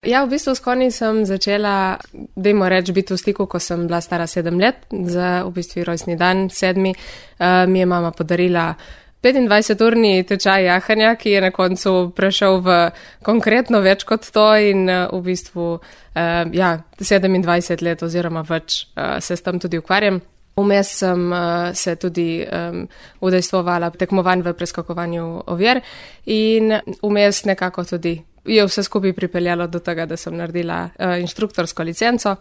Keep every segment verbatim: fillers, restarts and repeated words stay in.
Ja, v bistvu s konji sem začela, dajmo reči, biti v stiku, ko sem bila stara sedem let, za v bistvu rojstni dan sedmi. Uh, mi je mama podarila petindvajseturni tečaj jahanja, ki je na koncu prešel v konkretno več kot to in uh, v bistvu uh, ja, sedemindvajset let oziroma več uh, se s tem tudi ukvarjam. Vmes sem uh, se tudi um, udejstvovala tekmovanj v preskakovanju ovir in vmes nekako tudi je vse skupaj pripeljalo do tega, da sem naredila uh, inštruktorsko licenco.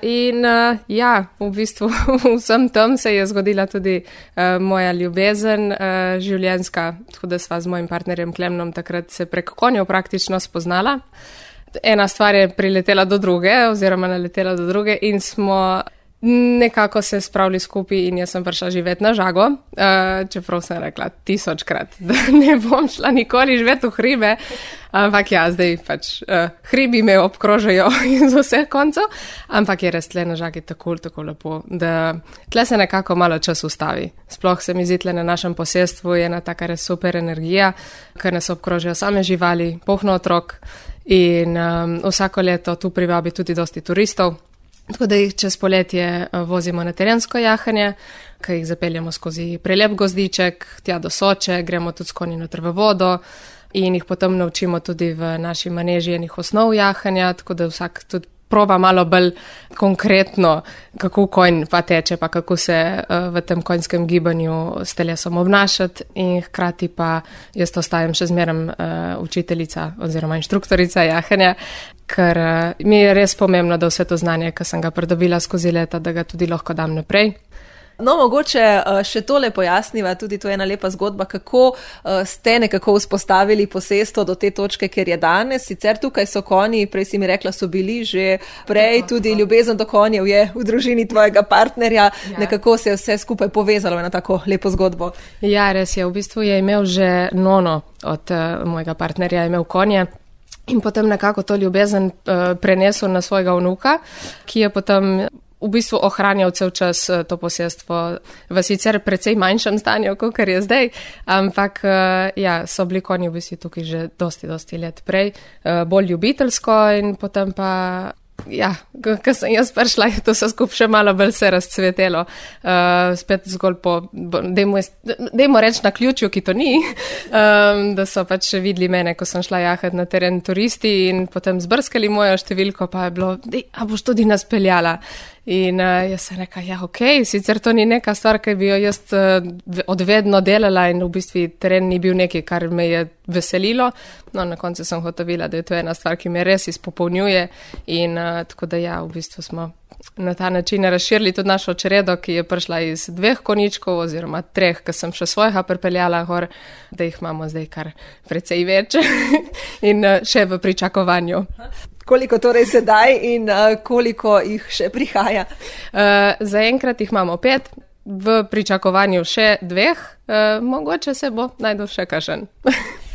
In uh, ja, v bistvu vsem tem se je zgodila tudi uh, moja ljubezen uh, življenjska, tako da sva z mojim partnerjem Klemnom takrat se prek konjev praktično spoznala. Ena stvar je priletela do druge oziroma naletela do druge in smo nekako se spravili skupaj in jaz sem prišla živeti na Žago, uh, čeprav sem rekla tisočkrat, da ne bom šla nikoli živeti v hribe, ampak ja, zdaj pač uh, hribi me obkrožajo iz vseh koncev, ampak je res tle na Žagi tako, tako lepo, da tle se nekako malo čas ustavi. Sploh se mi zdi tle na našem posestvu je ena taka res super energija, ker nas obkrožajo same živali, polno otrok in um, vsako leto tu privabi tudi dosti turistov. Tako da jih čez poletje vozimo na terensko jahanje, ki jih zapeljamo skozi prelep gozdiček, tja do Soče, gremo tudi s konji noter v vodo in jih potem naučimo tudi v naši maneži enih osnov jahanja, tako da vsak tudi proba malo bolj konkretno, kako konj pa teče, pa kako se uh, v tem konjskem gibanju s telesom obnašati in hkrati pa jaz ostajam še zmeraj uh, učiteljica oziroma inštruktorica jahanja, ker uh, mi je res pomembno, da vse to znanje, ki sem ga pridobila skozi leta, da ga tudi lahko dam naprej. No, mogoče še tole pojasniva, tudi to je ena lepa zgodba, kako ste nekako vzpostavili posestvo do te točke, kjer je danes. Sicer tukaj so konji, prej si mi rekla, so bili že prej, tudi ljubezen do konjev je v družini tvojega partnerja, ja. Nekako se je vse skupaj povezalo na tako lepo zgodbo. Ja, res je, v bistvu je imel že nono od uh, mojega partnerja, je imel konje. In potem nekako to ljubezen uh, prenesel na svojega vnuka, ki je potem v bistvu ohranjal cel čas to posestvo v sicer precej manjšem stanju, kot je zdaj, ampak ja, so bili konji v bistvu tukaj že dosti, dosti let prej, bolj ljubiteljsko in potem pa ja, ko sem jaz prišla, je to vse skupaj še malo bolj se razcvetelo. Uh, spet zgolj po, dajmo reči na ključju, ki to ni, um, da so pač videli mene, ko sem šla jahati na teren turisti in potem zbrskali mojo številko, pa je bilo, dej, a boš tudi nas peljala. In uh, jaz sem rekla, ja, okej, okay, sicer to ni neka stvar, ki bi jo jaz uh, odvedno delala in v bistvu teren ni bil nekaj, kar me je veselilo. No, na koncu sem hotovila, da je to ena stvar, ki me res izpopolnjuje in uh, tako da ja, v bistvu smo na ta način razširili tudi našo čredo, ki je prišla iz dveh koničkov oziroma treh, ki sem še svojega pripeljala gor, da jih imamo zdaj kar precej več in uh, še v pričakovanju. Koliko torej sedaj in uh, koliko jih še prihaja? Uh, zaenkrat jih imamo pet, v pričakovanju še dveh, uh, mogoče se bo najdel še kakšen.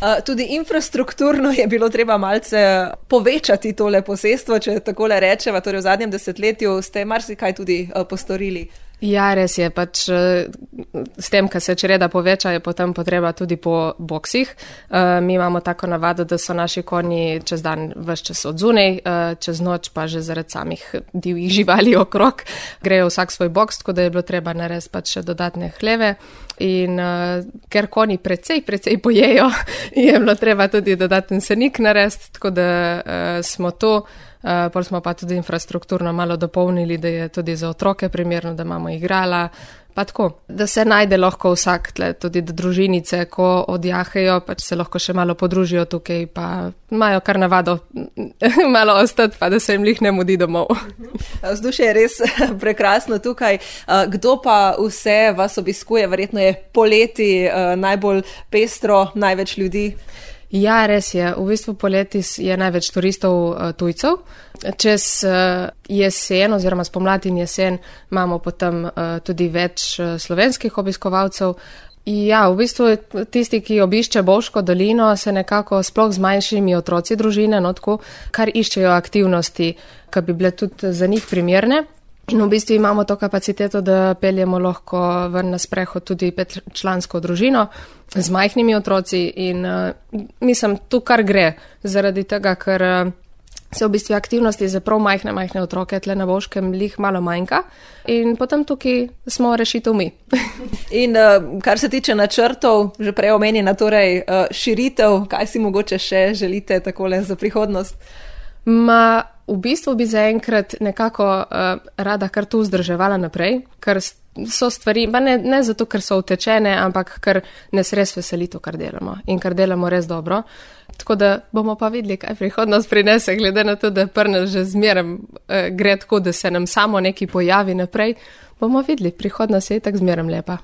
Uh, tudi infrastrukturno je bilo treba malce povečati tole posestvo, če takole rečeva, torej v zadnjem desetletju ste marsikaj tudi uh, postorili. Ja, res je, pač s tem, ko se čreda poveča, je potem potreba tudi po boksih. Uh, mi imamo tako navado, da so naši konji čez dan ves čas odzunej, uh, čez noč pa že zaradi samih divjih živali okrog grejo vsak svoj boks, tako da je bilo treba narediti pač še dodatne hleve. In uh, ker konji precej, precej pojejo, je bilo treba tudi dodaten senik narediti, tako da uh, smo to. Uh, pol smo pa tudi infrastrukturno malo dopolnili, da je tudi za otroke primerno, da imamo igrala, pa tako, da se najde lahko vsak tle, tudi da družinice, ko odjahajo, pač se lahko še malo podružijo tukaj, pa imajo kar navado malo ostati, pa da se jim lih ne mudi domov. Vzdušje je res prekrasno tukaj. Kdo pa vse vas obiskuje? Verjetno je poleti najbolj pestro, največ ljudi. Ja, res je. V bistvu poleti je največ turistov uh, tujcev. Čez uh, jesen oziroma spomladi in jesen imamo potem uh, tudi več uh, slovenskih obiskovalcev. Ja, v bistvu tisti, ki obišče Bovško dolino, se nekako sploh z manjšimi otroci družine, no tako, kar iščejo aktivnosti, ki bi bile tudi za njih primerne. In v bistvu imamo to kapaciteto, da peljemo lahko ven na sprehod tudi petčlansko družino z majhnimi otroci in uh, mislim, tu kar gre, zaradi tega, ker uh, se v bistvu aktivnosti za prav majhne, majhne otroke tle na Bovškem lih malo manjka in potem tukaj smo rešitev mi. In uh, kar se tiče načrtov, že prej omenjena, torej uh, širitev, kaj si mogoče še želite takole za prihodnost? Ma, v bistvu bi zaenkrat nekako uh, rada kar tu vzdrževala naprej, ker so stvari, pa ne, ne zato, ker so utečene, ampak ker nas res veseli to, kar delamo in kar delamo res dobro. Tako da bomo pa videli, kaj prihodnost prinese, glede na to, da prna že zmeraj uh, gre tako, da se nam samo nekaj pojavi naprej. Bomo videli, prihodnost je tako zmeraj lepa.